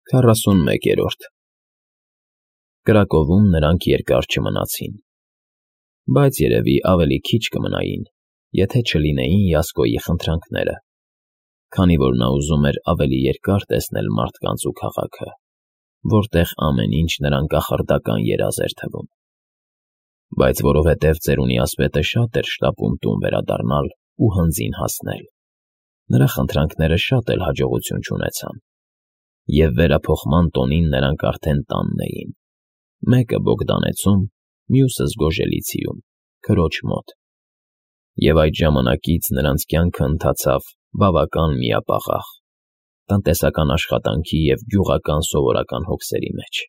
41-րդ Կրակովում նրանք երկար չմնացին, բայց երևի ավելի քիչ կմնային, եթե չլինեին Յասկոյի խնդրանքները, քանի որ նա ուզում էր ավելի երկար տեսնել մարդկանց ու քաղաքը, որտեղ ամեն ինչ նրան կախարդական երազ էր թվում, բայց որովհետև ծերունի ասպետը շատ էր շտապում տուն վերադառնալ ու հնձին հասնել, նրա խնդրանքները շատ էլ հաջողություն չունեցան, և վերափոխման տոնին նրանք արդեն տանն էին, մեկը Բոգդանեցում, մյուսը Զգոժելիցիում, քրոջ մոտ, և այդ ժամանակից նրանց կյանքը ընթացավ բավական միապաղաղ, տնտեսական աշխատանքի և գյուղական սովորական հոգսերի մեջ։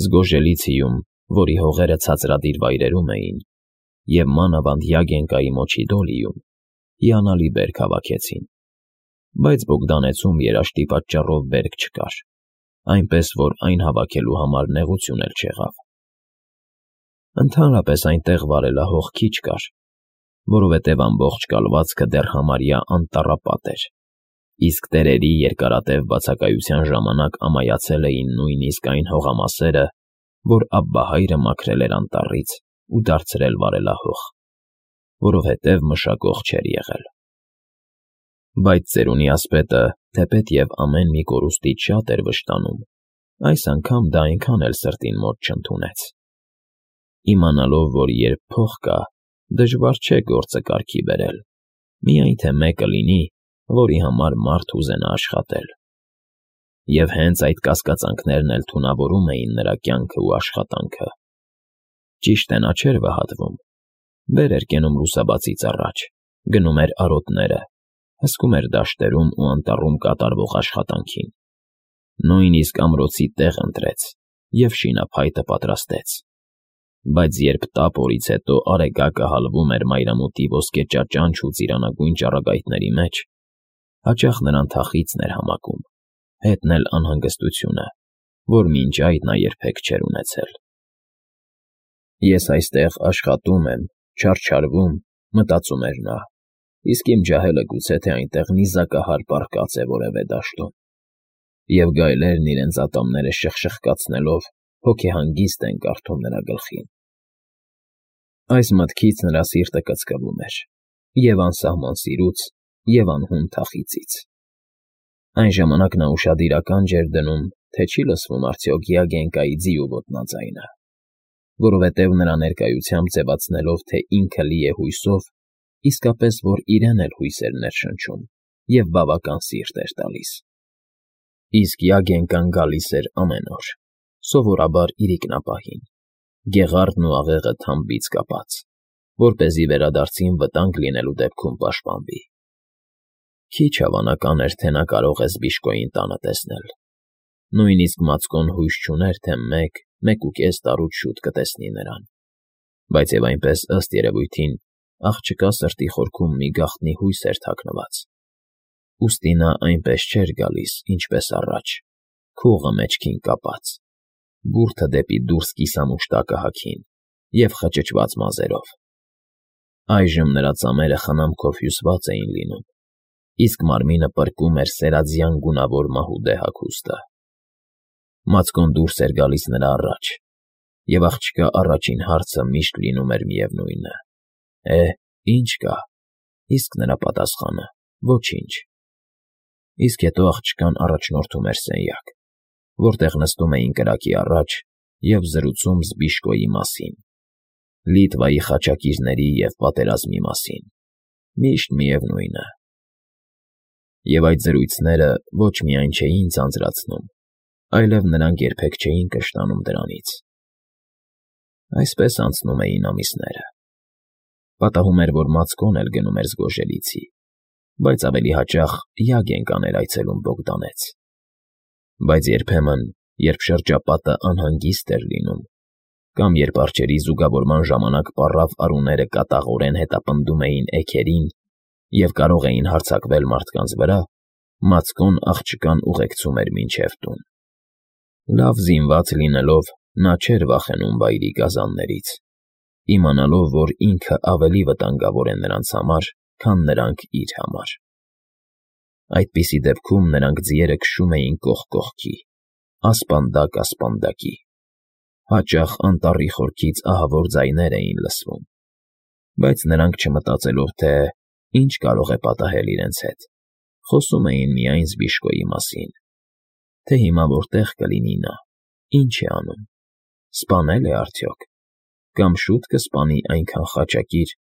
Զգոժելիցիում, որի հողերը ցածրադիր վայրերում էին, և մանավանդ Յագենկայի Մոչիդոլիում, հիանալի բերք հավաքեցին, բայց Բոգդանեցում երաշտի պատճառով բերք չկար, այնպես որ այն հավաքելու համար նեղություն էլ չեղավ։ Ընդհանրապես այնտեղ վարելահող քիչ կար, որովհետև ամբողջ կալվածքը դեռ համարյա անտառապատ էր, իսկ տերերի երկարատև բացակայության ժամանակ ամայացել էին նույնիսկ այն հողամասերը, որ Աբբահայրը մաքրել էր անտառից ու դարձրել վարելահող, որովհետև մշակող չէր եղել։ Բայց ծերունի ասպետը, թեպետև ամեն մի կորուստից շատ էր վշտանում, այս անգամ դա այնքան էլ սրտին մոտ չընդունեց։ Իմանալով, որ երբ փող կա, դժվար չէ գործը կարգի բերել, միայն թե մեկը լինի, որի համար մարդ ուզենա աշխատել։ Եվ հենց այդ կասկածանքներն էլ թունավորում էին նրա կյանքը ու աշխատանքը։ Ճիշտ է, նա չէր վհատվում, վեր էր կենում լուսաբացից առաջ, գնում էր արոտները, հսկում էր դաշտերում ու անտառում կատարվող աշխատանքին, նույնիսկ ամրոցի տեղ ընտրեց և շինափայտը պատրաստեց, բայց երբ տապ օրից հետո արեգակը հալվում էր մայրամուտի ոսկե ճաճանչ ու ծիրանագույն ճառագայթների մեջ, հաճախ նրան թախիծն էր համակում, հետն էլ անհանգստությունը, որ մինչ այդ նա երբեք չէր ունեցել։ Ես այստեղ աշխատում եմ, չարչարվում, մտածում էր նա, իսկ իմ ջահելը գուցե թե այնտեղ նիզակահար պառկած է որևէ դաշտում, և գայլերն իրենց ատամները շխշխկացնելով հոգեհանգիստ են կարդում նրա գլխին։ Այս մտքից նրա սիրտը կծկվում էր և անսահման սիրուց, և անհուն թախիծից։ Այն ժամանակ նա ուշադիրական ջեր դնում, թե չի լսվում արդյոք Յագենկայի ձիու ոտնաձայնը, որովհետև նրա ներկայությամբ ձևացնելով, թե ինքը լի է հույսով, իսկապես որ իրեն էլ հույս էր ներշնչում և բավական սիրտ էր տալիս։ Իսկ Յագենկան գալիս էր ամեն օր, սովորաբար իրիկնապահին, գեղարդն ու աղեղը թամբից կապած, որպեսզի վերադարձին վտանգ լինելու դեպքում պաշտպանվի։ Քիչ հավանական էր, թե նա կարող է Զբիշկոյին տանը տեսնել։ Նույնիսկ Մացկոն հույս չուներ, թե 1-1.5 տարուց շուտ կտեսնի նրան, բայց և այնպես ըստ երևույթին աղջկա սրտի խորքում մի գաղտնի հույս էր թաքնված։ Ուստի նա այնպես չէր գալիս, ինչպես առաջ, քողը մեջքին կապած, բուրդը դեպի դուրս կիսամուշտակը հագին և խճճված մազերով։ Այժմ նրա ծամերը խնամքով հյուսված էին լինում, իսկ մարմինը պրկում էր սերաձյան գունավոր մահուդե հագուստը։ Մացկոն դուրս էր գալիս նրա առաջ, և աղջկա առաջին հարցը միշտ լինում էր միևնույնը. ինչ կա, իսկ նրա պատասխանը՝ ոչինչ։ Իսկ հետո աղջկան առաջնորդում էր սենյակ, որտեղ նստում էին կրակի առաջ և զրուցում Զբիշկոյի մասին, Լիտվայի խաչակիրների և պատերազմի մասին, միշտ միևնույնը։ Եվ այդ զրույցները ոչ միայն չէին ձանձրացնում, այլև նրանք երբեք չէին կշտանում դրանից։ Այսպես անցնում էին ամիսները։ Պատահում էր, որ Մացկոն էլ գնում էր Զգոժելիցի, բայց ավելի հաճախ Յագենկան էր այցելում Բոգդանեց։ Բայց երբեմն, երբ շրջապատը անհանգիստ էր լինում, կամ երբ արջերի զուգավորման ժամանակ պառավ արուները կատաղորեն հետապնդում էին էգերին և կարող էին հարձակվել մարդկանց վրա, Մացկոն աղջկան ուղեկցում էր մինչև տուն։ Լավ զինված լինելով, նա չէր վախենում վայրի գազաններից, իմանալով, որ ինքը ավելի վտանգավոր է նրանց համար, քան նրանք իր համար։ Այդպիսի դեպքում նրանք ձիերը քշում էին կողք կողքի, ասպանդակ ասպանդակի։ Հաճախ անտառի խորքից ահավոր ձայներ էին լսվում, բայց նրանք չմտածելով, թե ինչ կարող է պատահել իրենց հետ, խոսում էին միայն Զբիշկոյի մասին, թե հիմա որտեղ կլինի նա, ինչ է անում, սպանել է արդյոք, կամ շուտ կսպանի այնքան խաճակիր,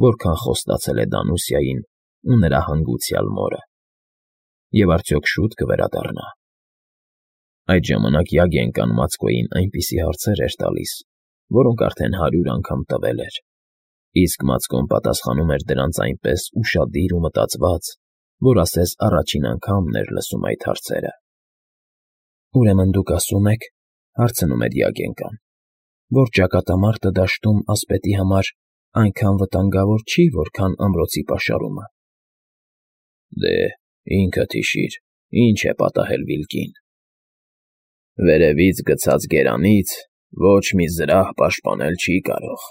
որքան խոստացել է Դանուսիային ու նրա հանգուցյալ մորը, և արդյոք շուտ կվերադառնա։ Այդ ժամանակ Յագենկան Մացկոյին այնպիսի հարցեր էր տալիս, որոնք արդեն 100 անգամ տվել էր, իսկ Մացկոն պատասխանում էր դրանց այնպես ուշադիր ու մտածված, որ ասես առաջին անգամն էր լսում այդ հարցերը։ «Ուրեմն դուք ասում եք, ֊ հարցնում էր Յագենկան, ֊ որ ճակատամարտը դաշտում ասպետի համար այնքան վտանգավոր չի, որքան ամրոցի պաշարումը»։ «Դե, ինքդ հիշիր, ինչ է պատահել Վիլկին. վերևից գցած գերանից ոչ մի զրահ պաշտպանել չի կարող,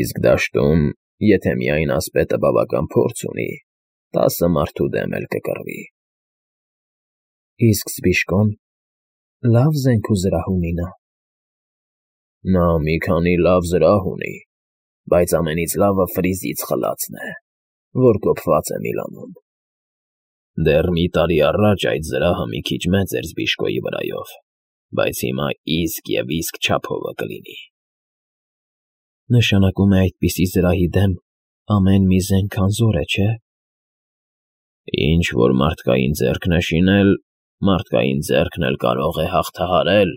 իսկ դաշտում, եթե միայն ասպետը բավական փորձ ունի, 10 մարդու դեմ էլ կկռվի»։ «Իսկ Զբիշկոն լավ զենք ու զրահ ունի նա»։ «Նա մի քանի լավ զրահ ունի, բայց ամենից լավը Ֆրիզից խլածն է, որ կոփված է Միլանում։ Դեռ մի տարի առաջ այդ զրահը մի քիչ մեծ էր Զբիշկոյի վրայով, բայց հիմա իսկ և իսկ չափովը կլինի»։ «Նշանակում է այդպիսի զրահի դեմ ամեն մի զենք անզոր է, չէ՞։ Ինչ որ մարդկային ձեռքն է շինել, մարդկային ձեռքն էլ կարող է հաղթահարել։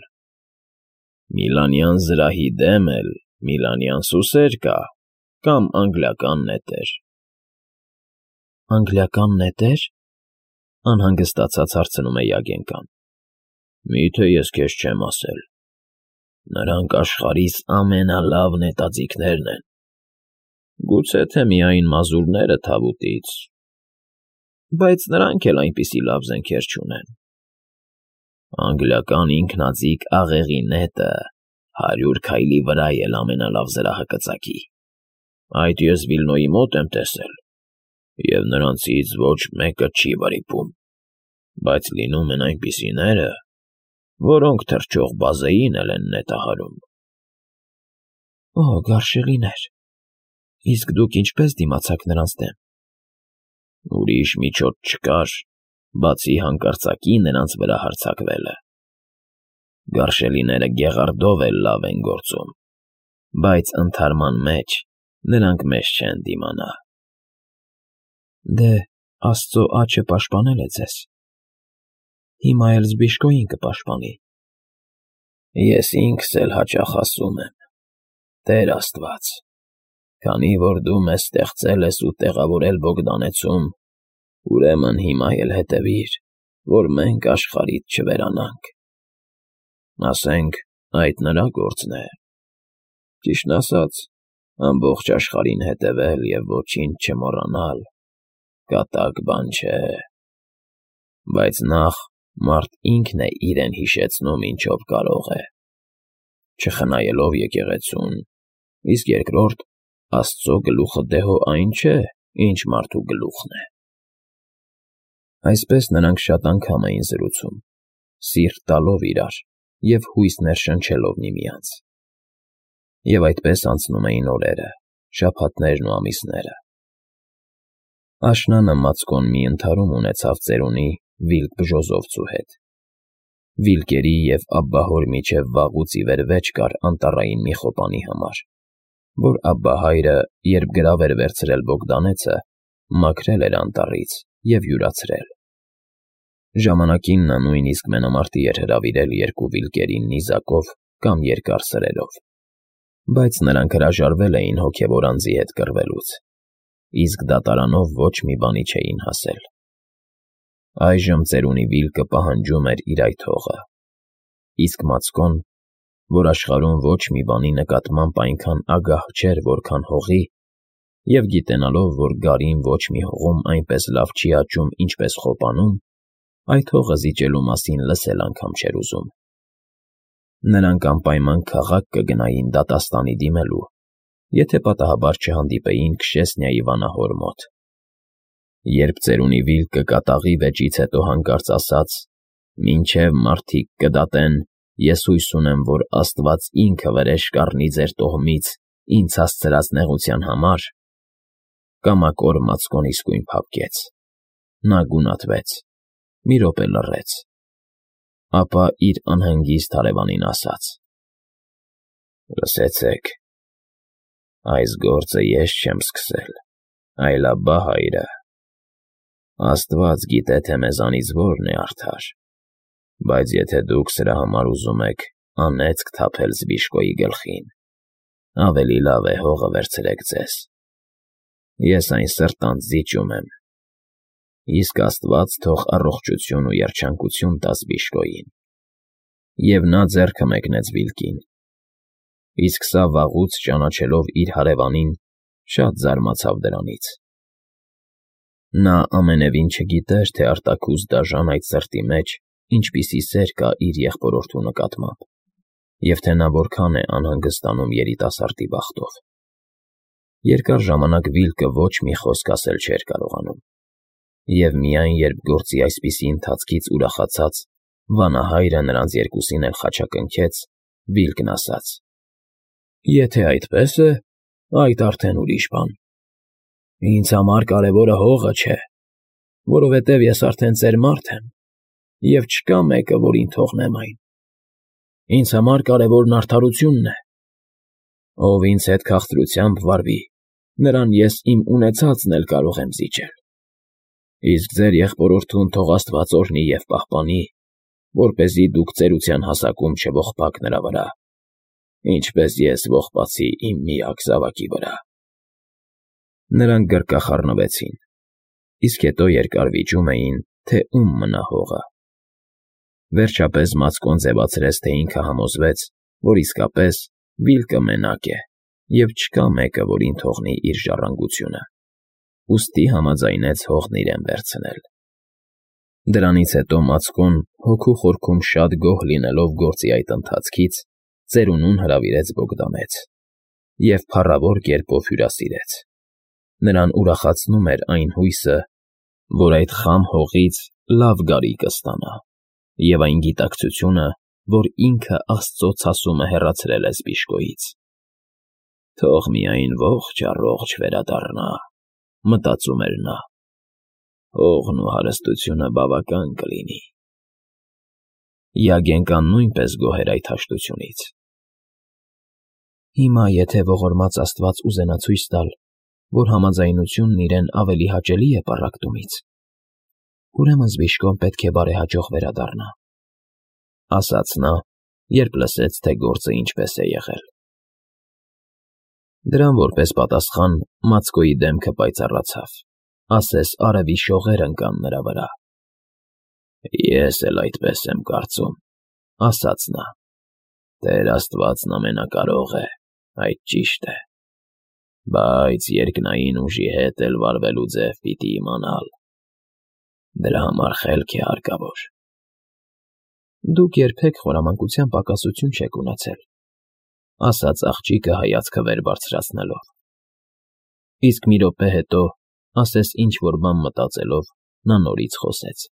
Միլանյան զրահի դեմ էլ միլանյան սուսեր կա կամ անգլիական նետեր»։ «Անգլիական նետեր»։ Անհանգստացած հարցնում է Յագենկան։ «Մի՞թե ես քեզ չեմ ասել։ Նրանք աշխարհիս ամենալավ նետաձիգներն են, գուցե թե միայն մազուրները Թավուտից, բայց նրանք էլ այնպիսի լավ զենքեր չունեն։ Անգլիական ինքնաձիգ աղեղի նետը 100 քայլի վրա էլ ամենալավ զրահը կծակի։ Այդ ես Վիլնոյի մոտ եմ տեսել, և նրանցից ոչ մեկը չի վրիպում, բայց լինում են այնպիսիները, որոնք թռչող բազեին էլ են նետահարում»։ «Օ, գարշելիներ, իսկ դուք ինչպե՞ս դիմացաք նրանց դեմ»։ «Ուրիշ միջոց չկար, բացի հանկարծակի նրանց վրա հարձակվելը։ Գարշելիները գեղարդով էլ լավ են գործում, բայց ընդհարման մեջ նրանք մեզ չեն դիմանա»։ «Դե, Աստծո աջը պաշտպանել է ձեզ, հիմա էլ Զբիշկոյին կպաշտպանի»։ «Ես ինքս էլ հաճախ ասում եմ. Տեր Աստված, քանի որ դու մեզ ստեղծել ես ու տեղավորել Բոգդանեցում, ուրեմն հիմա էլ հետևիր, որ մենք աշխարհից չվերանանք։ Ասենք, այդ նրա գործն է։ Ճիշտն ասած, ամբողջ աշխարհին հետևել և ոչինչ չմոռանալ կատակ բան չէ։ Բայց նախ մարդ ինքն է իրեն հիշեցնում ինչով կարող է, չխնայելով եկեղեցուն, իսկ երկրորդ, Աստծո գլուխը դեհո այն չէ, ինչ մարդու գլուխն է»։ Այսպես նրանք շատ անգամ էին զրուցում, սիրտ տալով իրար և հույս ներշնչելով միմյանց։ Եվ այդպես անցնում էին օրերը, շաբաթներն ու ամիսները։ Աշնանը Մացկոն մի ընդհարում ունեցավ ծերունի Վիլկ Բժոզովցու հետ։ Վիլկերի և Աբբահոր միջև վաղուց ի վեր վեճ կար անտառային մի խոպանի համար, որ Աբբահայրը, երբ գրավ էր վերցրել Բոգդանեցը, մաքրել էր անտառից և յուրացրել։ Ժամանակին նա նույնիսկ մենամարտի էր հրավիրել 2 վիլկերին նիզակով կամ երկար սրելով, բայց նրանք հրաժարվել էին հոգևոր անձի հետ կռվելուց, իսկ դատարանով ոչ մի բանի չէին հասել։ Այժմ ծերունի Վիլկը պահանջում էր իր այդ հողը, իսկ Մացկոն, որ աշխարհում ոչ մի բանի նկատմամբ այնքան ագահ չէր, որքան հողի, և գիտենալով, որ գարին ոչ մի հողում այնպես լավ չի աճում, ինչպես խոպանում, այդ հողը զիջելու մասին լսել անգամ չէր ուզում։ Նրանք անպայման քաղաք կգնային դատաստանի դիմելու, եթե պատահաբար չհանդիպեին Քշեսնիայի վանահոր մոտ։ Երբ ծերունի Վիլկը կատաղի վեճից հետո հանկարծ ասաց. «Մինչև մարդիկ կդատեն, ես հույս ունեմ, որ Աստված ինքը վրեժ կառնի ձեր տոհմից ինձ հասցրած նեղության համար», կամակոր Մացկոն իսկույն փափկեց։ Նա գունատվեց, մի րոպե լռեց, ապա իր անհանգիստ հարևանին ասաց. «Լսեցեք, այս գործը ես չեմ սկսել, այլ Աբբա հայրը։ Աստված գիտե, թե մեզանից որն է արդար, բայց եթե դուք սրա համար ուզում եք անեծք թափել Զբիշկոյի գլխին, ավելի լավ է հողը վերցրեք ձեզ։ Ես այն սրտանց զիջում եմ, իսկ Աստված թող առողջություն ու երջանկություն տա Զբիշկոյին»։ Եվ նա ձեռքը մեկնեց Վիլկին։ Իսկ սա վաղուց ճանաչելով իր հարևանին, շատ զարմացավ դրանից։ Նա ամենևին չգիտեր, թե արտաքուստ դաժան այդ սրտի մեջ ինչպիսի սեր կա իր եղբորորդու նկատմամբ, և թե նա որքան է անհանգստանում երիտասարդի բախտով։ Երկար ժամանակ Վիլկը ոչ մի խոսք ասել չէր կարողանում, և միայն երբ գործի այսպիսի ընթացքից ուրախացած վանահայրը նրանց երկուսին էլ խաչակնքեց, Վիլկն ասաց. «Եթե այդպես է, այդ արդեն ուրիշ բան։ Ինձ համար կարևորը հողը չէ, որովհետև ես արդեն ծեր մարդ եմ, և չկա մեկը, որին թողնեմ այն։ Ինձ համար կարևորն արդարությունն է։ Ով ինձ հետ քաղցրությամբ վարվի, նրան ես իմ ունեցածն էլ կարող եմ զիջել։ Իսկ ձեր եղբորորդուն թող Աստված օրհնի և պահպանի, որպեսզի դուք ծերության հասակում չողբաք նրա վրա, ինչպես ես ողբացի իմ միակ զավակի վրա»։ Նրանք գրկախառնվեցին, իսկ հետո երկար վիճում էին, թե ում մնա հողը։ Վերջապես Մացկոն ձևացրեց, թե ինքը համոզվեց, որ իսկապես Վիլկը մենակ է, և չկա մեկը, որին թողնի իր ժառանգությունը, ուստի համաձայնեց հողն իրեն վերցնել։ Դրանից հետո Մացկոն, հոգու խորքում շատ գոհ լինելով գործի այդ ընթացքից, ծերունուն հրավիրեց Բոգդանեց և փառավոր կերպով հյուրասիրեց։ Նրան ուրախացնում էր այն հույսը, որ այդ խամ հողից լավ գարի կստանա, և այն գիտակցությունը, որ ինքը Աստծո ցասումը հեռացրել է Զբիշկոյից։ «Թող միայն ողջ առողջ վերադառնա», մտածում էր նա, «հողն ու հարստությունը բավական կլինի»։ Յագենկան նույնպես գոհ էր այդ հաշտությունից։ «Հիմա եթե ողորմած Աստված ուզենա ցույց տալ, որ համաձայնությունն իրեն ավելի հաճելի է պառակտումից, ուրեմն Զբիշկոն պետք է բարեհաջող վերադառնա», ասաց նա, երբ լսեց, թե գործը ինչպես է եղել։ Դրան որպես պատասխան Մացկոյի դեմքը պայծառացավ, ասես արևի շողեր ընկան նրա վրա։ «Ես էլ այդպես եմ կարծում», ասաց նա։ «Տեր Աստվածն ամենակարող է, այդ ճիշտ է, բայց երկնային ուժի հետ էլ վարվելու ձև պիտի իմանալ։ Դրա համար խելք է հարկավոր»։ «Դուք երբեք խորամանկության պակասություն չեք ունեցել», ասաց աղջիկը հայացքը վեր բարձրացնելով։ Իսկ մի րոպե հետո, ասես ինչ֊որ բան մտածելով, նա նորից խոսեց.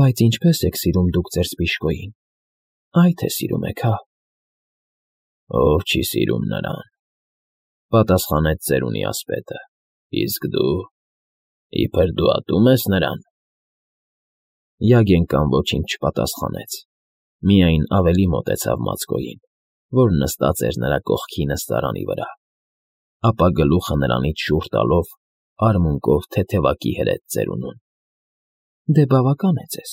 «Բայց ինչպե՞ս եք սիրում դուք ձեր Զբիշկոյին, այ թե սիրում եք, հա»։ «Ով չի սիրում նրան», պատասխանեց ծերունի ասպետը։ «Իսկ դու, իբր դու ատում ես նրան»։ Յագենկան ոչինչ չպատասխանեց, միայն ավելի մոտեցավ Մացկոյին, որ նստած էր նրա կողքի նստարանի վրա, ապա գլուխը նրանից շուռ տալով, արմունկով թեթևակի հրեց ծերունուն. «Դե բավական է ձեզ,